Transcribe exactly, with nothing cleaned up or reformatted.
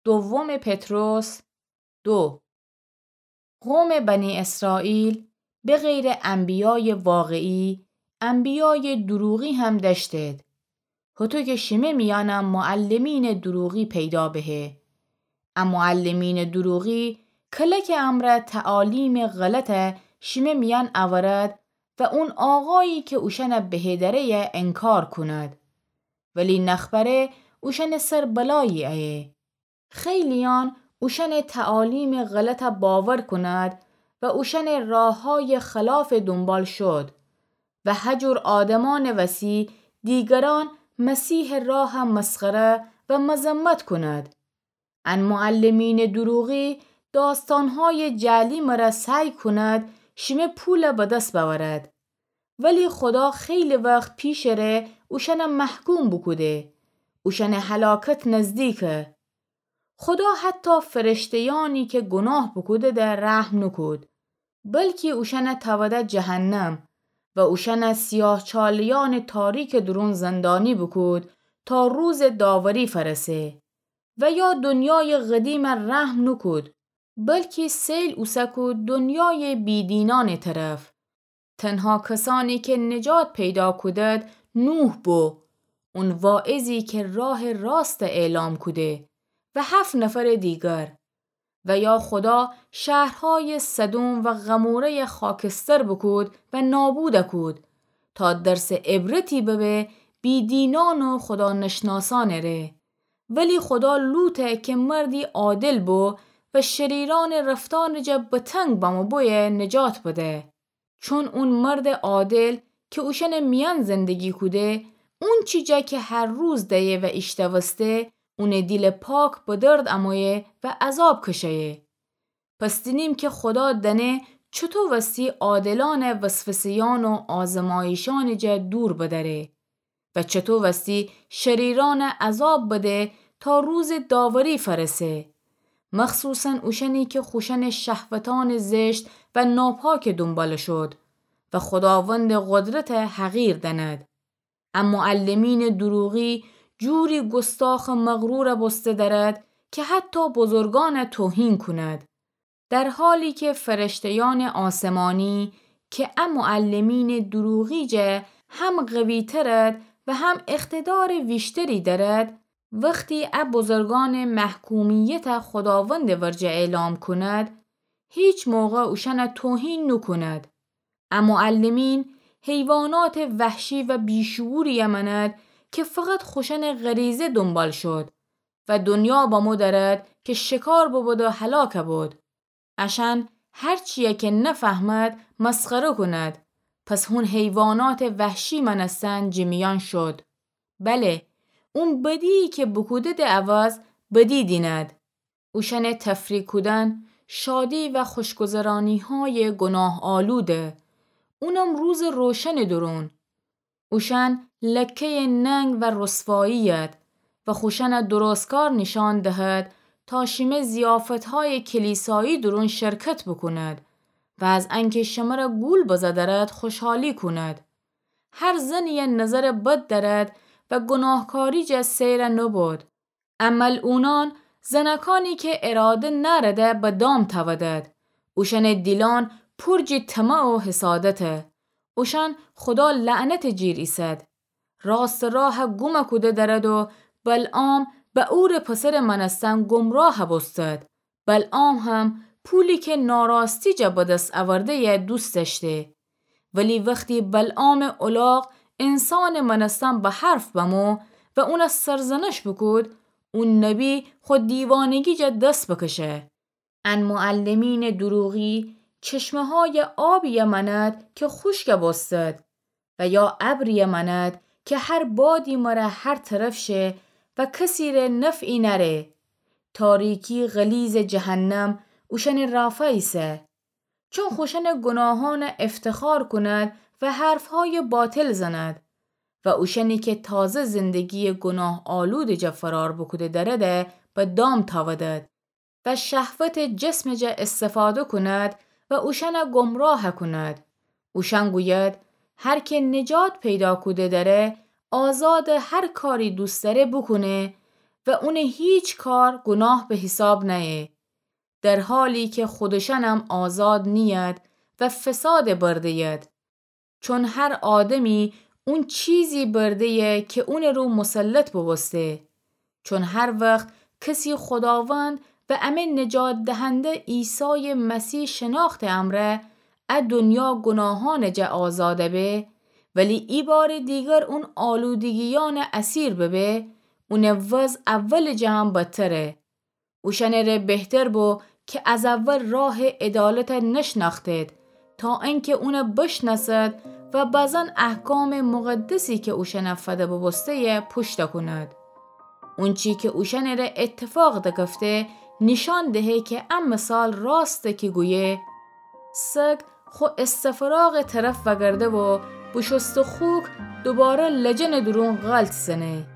دوم پطرس دو. قوم بنی اسرائیل به غیر انبیای واقعی، انبیای دروغی هم دأشتید. هوطو که شیمه میأن معلمین دروغی پیدا بهه. ا معلمین دروغی کلک امرأ تعالیم غلطه شیمه میأن اورد و اون آقایی که اوشأنه بهه دره‌یه انکار کند. ولی نخبره اوشأنه سر بلایی ایه. خیلیأن اوشأنه تعالیم غلطه باور کند و اوشأنه راه‌های خلافه دونبال شود و هجور آدمأنٚ وسی دیگرأن مسیحٚ راهه مسخره و مذمت کند. ان معلمینٚ دروغی داستانهای جعلی مره سعی کند شیمه پوله به دس بأورد. ولی خودا خیلی وخت پیشٚ ره اوشأنه محکوم بوکوده. اوشأنٚ هلاکت نزدیکه. خودا حتی فرشته‌یأنی که گناه بوکوده‌ده رحم نوکود، بلکی اوشأنه تأوده جهنم و اوشأنه سیاهچاله‌یأنٚ تاریکٚ دورون زندانی بوکود تا روزٚ داوری فأرسه. و یا دنیایٚ قدیمه رحم نوکود، بلکی سیل اوسه کود دنیایٚ بیدینأنٚ طرف. تنها کسأنی که نجات پیدا کودد نوح بو، اون واعظی که راهٚ راسته اعلام کوده و هفت نفرٚ دیگر. و یا خودا شهرهایٚ سدوم و غموره‌یه خاکستر بوکود و نابوده کود، تا درسٚ عبرتی ببه بیدینأن و خودا نشناسأنٚ ره. ولی خودا لوطه که مردی عادل بو و شریرأنٚ رفتأرٚ جه بتنگ بمو بویه نجات بده. چون اون مردٚ عادل که اوشأنٚ میأن زندگی کوده، اونچی جا که هر روز دأیه و ایشتوسته، اونٚ دیلٚ پاک به درد امویه و عذاب کشه‌یه. پس دینیم که خودا دأنه چوطو وستی عادلأنه وسوسه‌یأن و آزمایشأنٚ جه دور بدأره و چوطو وستی شریرأنه عذاب بده تا روزٚ داوری فأرسه، مخصوصاً اوشأنی که خوشأنٚ شهوتأنٚ زشت و ناپاکٚ دونبال شود و خوداوندٚ قدرته حقیر دأند. ا معلمینٚ دروغی جوری گستاخٚ مغروره بوسته دأرد که حتی بزرگأنه توهین کند. در حالی که فرشته‌یأنٚ آسمانی که ا معلمینٚ دروغی جه هم قوی‌ترد و هم اقتدارٚ ویشتری دأرد، وختی ا بزرگأنٚ محکومیته خوداوندٚ ورجه اعلام کند، هیچ موقع اوشأنه توهین نوکوند. ا معلمین حیواناتٚ وحشی و بی‌شعوریه مأند که فقط خوشأنٚ غریزه دونبال شود و دنیا بمو دأرد که شکار ببود و هلاک بود. اشأن هرچیه که نفهمد مسخره کند. پس هون حیواناتٚ وحشی مأنستن جٚه میأن شد. بله، اون بدی‌یی که بوکوده‌ده عوض بدی دینید. اوشأنٚ تفریح کودن، شادی و خوشگذرانی‌های گناه‌آلوده. اونم روزٚ روشنٚ دورون. اوشأن لکه‌یٚ ننگ و رسوایی‌ید و خوشأنه درستکار نیشأن دهد تا شیمه ضیافت‌هایٚ کلیسایی دورون شرکت بوکوند و از انکه شمره گول بزه دأرد خوشحالی کوند. هر زنی‌یه نظرٚ بد دأرد و گناهکاری جه سیره نوبود. ا ملعونأن زنکانی که اراده نأرده به دام تأودد. اوشأنٚ دیلأن پور جٚه طمع و حسادته. اوشأن خودا لعنتٚ جیر ایسد. راستٚ راه گوم کوده دأرد و بلعام بئورٚ پسرٚ مأنستن گمراه بوستد. بلعام هم پولی که ناراستی جه به دس اورده‌یه دوست دأشته. ولی وختی بلعامٚ الاغ انسانٚ مأنستن به حرف بمو و اونه سرزنش بوکود، او نبی خو دیوانگی جه دس بکشه. ان معلمینٚ دروغی چشمه‌هایٚ آبی‌یه مأند که خوشکه بوستد و یا ابری‌یه مأند که هر بادی مره هر طرف شه و کسیره نفعی نأره. تاریکی غلیظٚ جهنم اوشأنٚ رافا ایسه. چون خوشأنٚ گناهأنه افتخار کوند و حرف‌هایٚ باطل زند و اوشأنی که تازه زندگی‌یٚ گناه‌آلودٚ جه فرار بوکوده دأرده به دام تأودد و شهوتٚ جسمٚ جه استفاده کوند و اوشأنه گمراه کوند. اوشأن گوید: هر که نجات پیدا کوده دأره، آزادٚ هر کاری دوست دأره بوکونه، و اونٚ هیچ کار گوناه به حیساب نأیه، در حالی کی خودشأنم آزاد نیید و فسادَ برده‌ید. چون هر آدمی اون چیزی برده‌یه کی اونٚ رو مسلط بوبوسته. چون هر وخت کسی خوداوند و امه نجات دهنده عیسایٚ مسیح شناختٚ امرأ ا دنیا گوناهأنٚ جا آزادَ به، ولی ایبارٚ دیگر اون آلودگیأنٚ اسیر ببه، اونٚ وضع اولٚ جا هم بدتره. اوشأنٚ ره بهتر بو کی از اول راهٚ عدالتَ نشنأختید، تا انکی اونَ بشنأسد و بزن احکامٚ مقدسی کی اوشأنَ فده بوبوسته‌یه پوشتَ کونید. اونچی کی اوشأنٚ ره اتفاق دکفته، نیشأن دهه کی ا مثال راسته کی گویه: سگ خو استفراغٚ طرف وأگرده و بوشوسته خوک دوباره لجنٚ دورون غلط زنه.